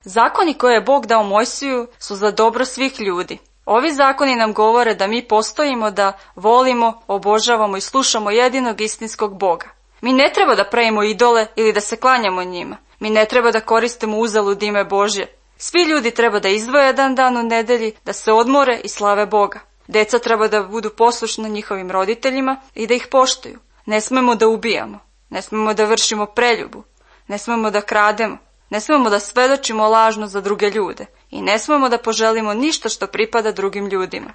Zakoni koje je Bog dao Mojsiju su za dobro svih ljudi. Ovi zakoni nam govore da mi postojimo, da volimo, obožavamo i slušamo jedinog istinskog Boga. Mi ne treba da pravimo idole ili da se klanjamo njima. Mi ne treba da koristimo uzalud ime Božje. Svi ljudi treba da izdvoje jedan dan u nedelji, da se odmore i slave Boga. Deca treba da budu poslušna njihovim roditeljima i da ih poštuju. Ne smemo da ubijamo, ne smemo da vršimo preljubu, ne smemo da krademo, ne smemo da svedočimo lažno za druge ljude i ne smemo da poželimo ništa što pripada drugim ljudima.